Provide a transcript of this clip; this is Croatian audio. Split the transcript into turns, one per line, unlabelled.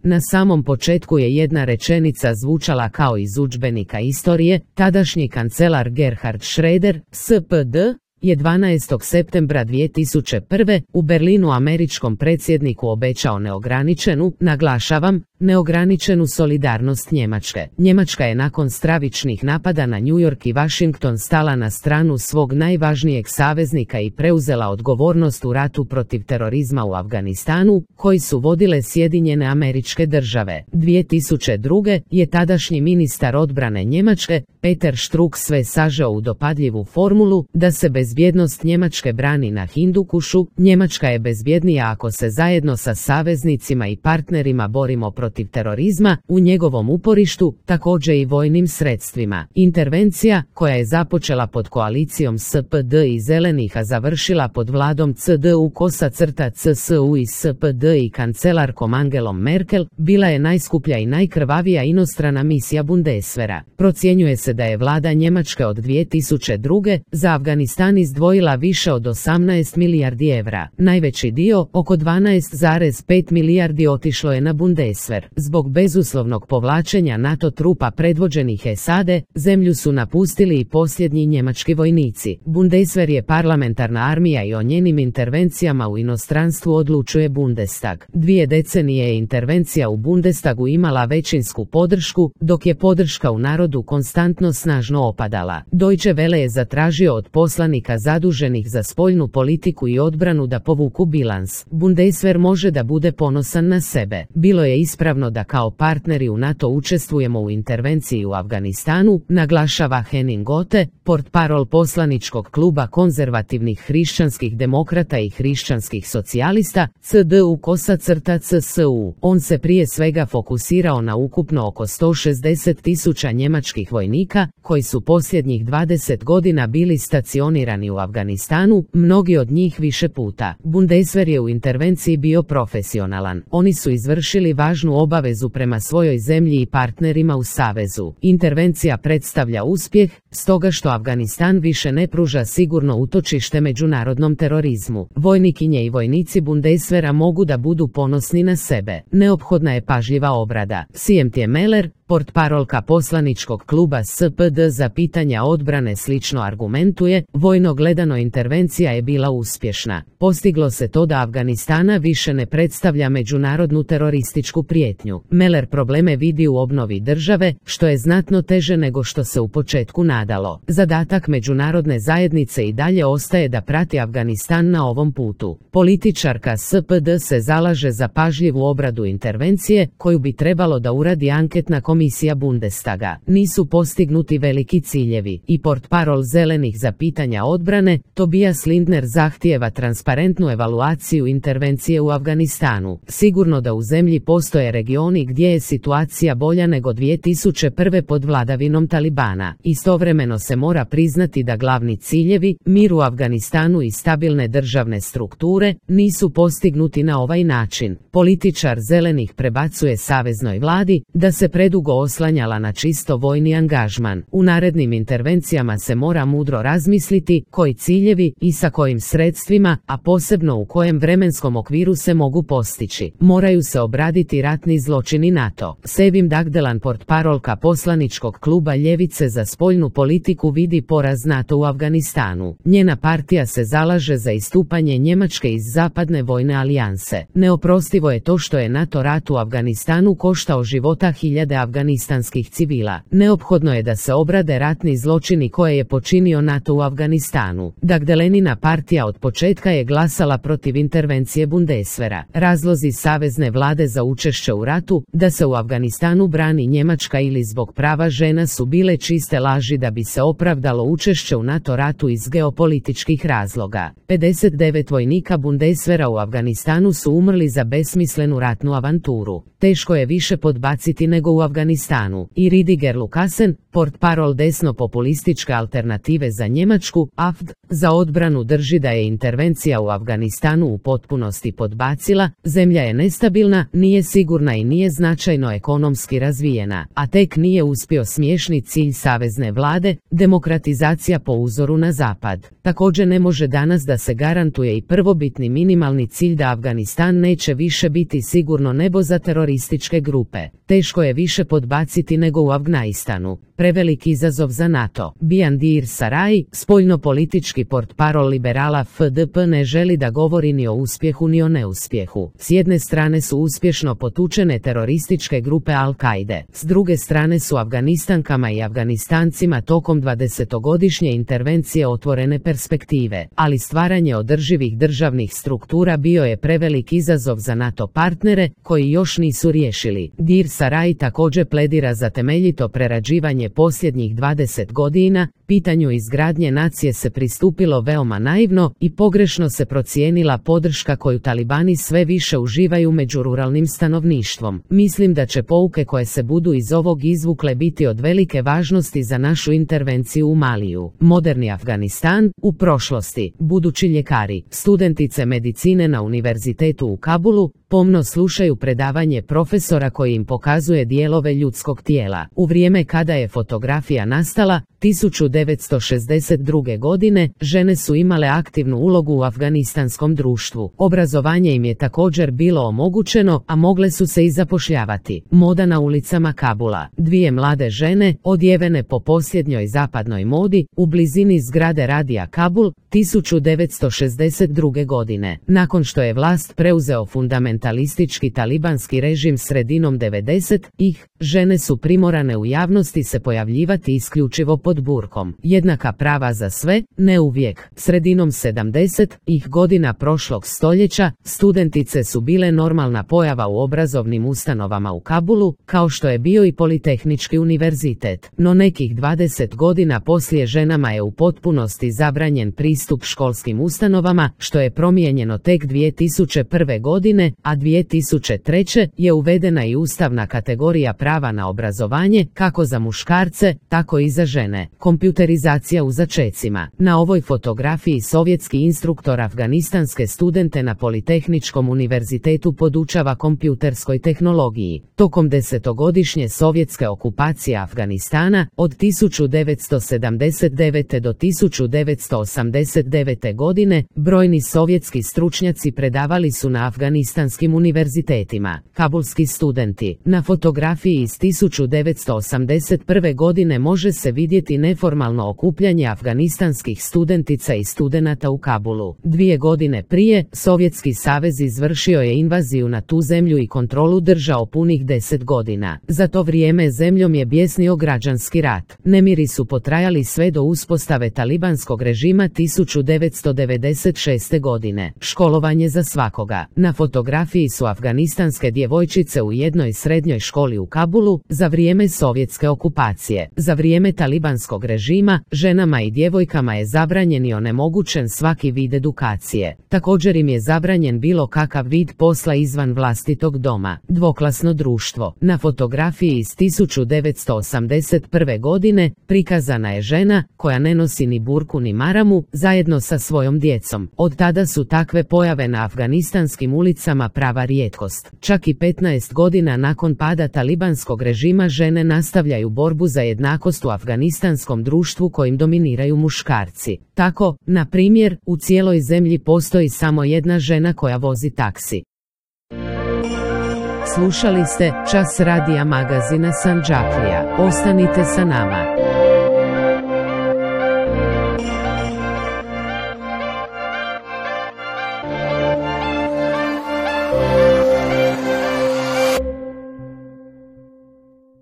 Na samom početku je jedna rečenica zvučala kao iz udžbenika istorije. Tadašnji kancelar Gerhard Schröder, SPD, je 12. septembra 2001. u Berlinu američkom predsjedniku obećao neograničenu, naglašavam, neograničenu solidarnost Njemačke. Njemačka je nakon stravičnih napada na New York i Washington stala na stranu svog najvažnijeg saveznika i preuzela odgovornost u ratu protiv terorizma u Afganistanu, koji su vodile Sjedinjene Američke Države. 2002. je tadašnji ministar odbrane Njemačke, Peter Struck, sve sažeo u dopadljivu formulu da se bezbjednost Njemačke brani na Hindukušu. Njemačka je bezbjednija ako se zajedno sa saveznicima i partnerima borimo protiv terorizma, u njegovom uporištu, također i vojnim sredstvima. Intervencija, koja je započela pod koalicijom SPD i Zelenih a završila pod vladom CDU-CSU i SPD i kancelarkom Angelom Merkel, bila je najskuplja i najkrvavija inostrana misija Bundeswehra. Procjenjuje se da je vlada Njemačke od 2002. za Afganistan izdvojila više od 18 milijardi evra. Najveći dio, oko 12,5 milijardi, otišlo je na Bundeswehr. Zbog bezuslovnog povlačenja NATO trupa predvođenih SAD, zemlju su napustili i posljednji njemački vojnici. Bundeswehr je parlamentarna armija i o njenim intervencijama u inostranstvu odlučuje Bundestag. 2 decenije je intervencija u Bundestagu imala većinsku podršku, dok je podrška u narodu konstantno snažno opadala. Deutsche Welle je zatražio od poslanika zaduženih za spoljnu politiku i odbranu da povuku bilans. Bundeswehr može da bude ponosan na sebe. Bilo je ispravno da kao partneri u NATO učestvujemo u intervenciji u Afganistanu, naglašava Henning Gothe, portparol poslaničkog kluba konzervativnih hrišćanskih demokrata i hrišćanskih socijalista, CDU-CSU. On se prije svega fokusirao na ukupno oko 160.000 njemačkih vojnika, koji su posljednjih 20 godina bili stacionirani u Afganistanu, mnogi od njih više puta. Bundeswehr je u intervenciji bio profesionalan. Oni su izvršili važnu obavezu prema svojoj zemlji i partnerima u savezu. Intervencija predstavlja uspjeh, stoga što Afganistan više ne pruža sigurno utočište međunarodnom terorizmu. Vojnikinje i vojnici Bundeswehra mogu da budu ponosni na sebe. Neophodna je pažljiva obrada. Siemtje Meller, portparolka poslaničkog kluba SPD za pitanja odbrane, slično argumentuje: vojno gledano intervencija je bila uspješna. Postiglo se to da Afganistana više ne predstavlja međunarodnu terorističku prijetnju. Meller probleme vidi u obnovi države, što je znatno teže nego što se u početku nadalo. Zadatak međunarodne zajednice i dalje ostaje da prati Afganistan na ovom putu. Političarka SPD se zalaže za pažljivu obradu intervencije, koju bi trebalo da uradi anketna komisija Bundestaga. Nisu postignuti veliki ciljevi i portparol Zelenih za pitanja odbrane, Tobias Lindner, zahtijeva transparentnu evaluaciju intervencije u Afganistanu. Sigurno da u zemlji postoje regioni gdje je situacija bolja nego 2001. pod vladavinom Talibana. Istovremeno se mora priznati da glavni ciljevi, mir u Afganistanu i stabilne državne strukture, nisu postignuti na ovaj način. Političar Zelenih prebacuje saveznoj vladi da se predugo oslanjala na čisto vojni angažman. U narednim intervencijama se mora mudro razmisliti koji ciljevi i sa kojim sredstvima, a posebno u kojem vremenskom okviru se mogu postići. Moraju se obraditi ratni zločini NATO. Sevim Dagdelan, portparolka poslaničkog kluba Ljevice za spoljnu politiku, vidi poraz NATO u Afganistanu. Njena partija se zalaže za istupanje Njemačke iz zapadne vojne alijanse. Neoprostivo je to što je NATO rat u Afganistanu koštao života hiljade afganistanskih civila. Neophodno je da se obrade ratni zločini koje je počinio NATO u Afganistanu. Dagdelenina partija od početka je glasala protiv intervencije Bundeswehra. Razlozi savezne vlade za učešće u ratu, da se u Afganistanu brani Njemačka ili zbog prava žena, su bile čiste laži da bi se opravdalo učešće u NATO ratu iz geopolitičkih razloga. 59 vojnika Bundeswehra u Afganistanu su umrli za besmislenu ratnu avanturu. Teško je više podbaciti nego u Afganistanu. Afganistanu. I Rüdiger Lukasen, portparol desno-populističke alternative za Njemačku, AfD, za odbranu drži da je intervencija u Afganistanu u potpunosti podbacila, zemlja je nestabilna, nije sigurna i nije značajno ekonomski razvijena, a tek nije uspio smiješni cilj savezne vlade, demokratizacija po uzoru na zapad. Također ne može danas da se garantuje i prvobitni minimalni cilj da Afganistan neće više biti sigurno nebo za terorističke grupe. Teško je više podbaciti nego u Afganistanu. Prevelik izazov za NATO. Biandir Sarai, spoljnopolitički portparol liberala FDP, ne želi da govori ni o uspjehu ni o neuspjehu. S jedne strane su uspješno potučene terorističke grupe Al-Kaide, s druge strane su Afganistankama i Afganistancima tokom 20-godišnje intervencije otvorene perspektive, ali stvaranje održivih državnih struktura bio je prevelik izazov za NATO partnere, koji još nisu riješili. Dir Sarai također pledira za temeljito prerađivanje posljednjih 20 godina, pitanju izgradnje nacije se pristupilo veoma naivno i pogrešno se procijenila podrška koju talibani sve više uživaju među ruralnim stanovništvom. Mislim da će pouke koje se budu iz ovog izvukle biti od velike važnosti za našu intervenciju u Maliju. Moderni Afganistan, u prošlosti. Budući ljekari, studentice medicine na univerzitetu u Kabulu, pomno slušaju predavanje profesora koji im pokazuje dijelove ljudskog tijela. U vrijeme kada je fotografija nastala, 1962. godine, žene su imale aktivnu ulogu u afganistanskom društvu. Obrazovanje im je također bilo omogućeno, a mogle su se i zapošljavati. Moda na ulicama Kabula. Dvije mlade žene, odjevene po posljednjoj zapadnoj modi, u blizini zgrade radija Kabul, 1962. godine. Nakon što je vlast preuzeo fundamentalistički talibanski režim sredinom 90-ih, žene su primorane u javnosti se pojavljivati isključivo pod burkom. Jednaka prava za sve, ne uvijek. Sredinom 70-ih godina prošlog stoljeća, studentice su bile normalna pojava u obrazovnim ustanovama u Kabulu, kao što je bio i Politehnički univerzitet. No nekih 20 godina poslije ženama je u potpunosti zabranjen pristup školskim ustanovama, što je promijenjeno tek 2001. godine, a 2003. je uvedena i ustavna kategorija prava na obrazovanje, kako za muškarce, tako i za žene. Kompjuterizacija u začecima. Na ovoj fotografiji sovjetski instruktor afganistanske studente na Politehničkom univerzitetu podučava kompjuterskoj tehnologiji. Tokom 10-godišnje sovjetske okupacije Afganistana, od 1979. do 1989. godine, brojni sovjetski stručnjaci predavali su na afganistanskim univerzitetima. Kabulski studenti. Na fotografiji iz 1981. godine može se vidjeti neformalno okupljanje afganistanskih studentica i studenata u Kabulu. 2 godine prije, Sovjetski savez izvršio je invaziju na tu zemlju i kontrolu držao punih 10 godina. Za to vrijeme zemljom je bjesnio građanski rat. Nemiri su potrajali sve do uspostave talibanskog režima 1996. godine. Školovanje za svakoga. Na fotografiji su afganistanske djevojčice u jednoj srednjoj školi u Kabulu, za vrijeme sovjetske okupacije. Za vrijeme talibanskog režima, ženama i djevojkama je zabranjen i onemogućen svaki vid edukacije. Također im je zabranjen bilo kakav vid posla izvan vlastitog doma. Dvoklasno društvo. Na fotografiji iz 1981. godine prikazana je žena koja ne nosi ni burku ni maramu, zajedno sa svojom djecom. Od tada su takve pojave na afganistanskim ulicama prava rijetkost. Čak i 15 godina nakon pada talibanskog režima žene nastavljaju borbu za jednakost u afganistanskom društvu kojim dominiraju muškarci. Tako, na primjer, u cijeloj zemlji postoji samo jedna žena koja vozi taksi. Slušali ste Čas radija magazina Sandžaklija. Ostanite sa nama.